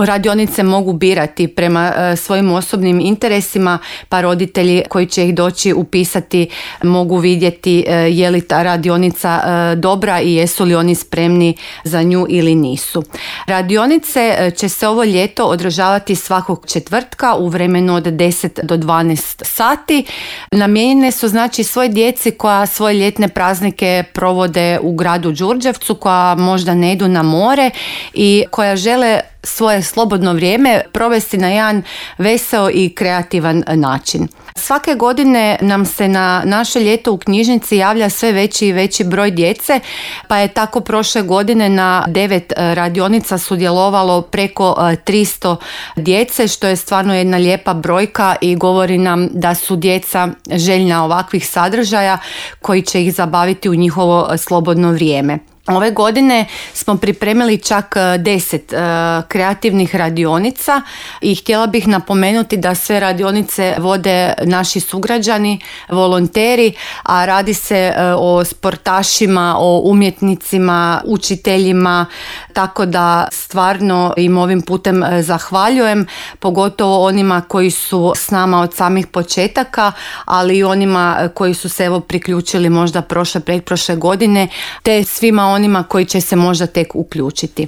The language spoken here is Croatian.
Radionice mogu birati prema svojim osobnim interesima, pa roditelji koji će ih doći upisati mogu vidjeti je li ta radionica dobra i jesu li oni spremni za nju ili nisu. Radionice će se ovo ljeto održavati svakog četvrtka u vremenu od 10 do 12 sati. Namijenjene su znači svoj djeci koja svoje ljetne praznike provode u gradu Đurđevcu, koja možda ne idu na more i koja žele svoje slobodno vrijeme provesti na jedan veseo i kreativan način. Svake godine nam se na naše ljeto u knjižnici javlja sve veći i veći broj djece, pa je tako prošle godine na 9 radionica sudjelovalo preko 300 djece, što je stvarno jedna lijepa brojka i govori nam da su djeca željna ovakvih sadržaja koji će ih zabaviti u njihovo slobodno vrijeme. Ove godine smo pripremili čak 10 kreativnih radionica i htjela bih napomenuti da sve radionice vode naši sugrađani, volonteri, a radi se o sportašima, o umjetnicima, učiteljima, tako da stvarno im ovim putem zahvaljujem, pogotovo onima koji su s nama od samih početaka, ali i onima koji su se priključili možda pretprošle godine, te svima onima koji će se možda tek uključiti.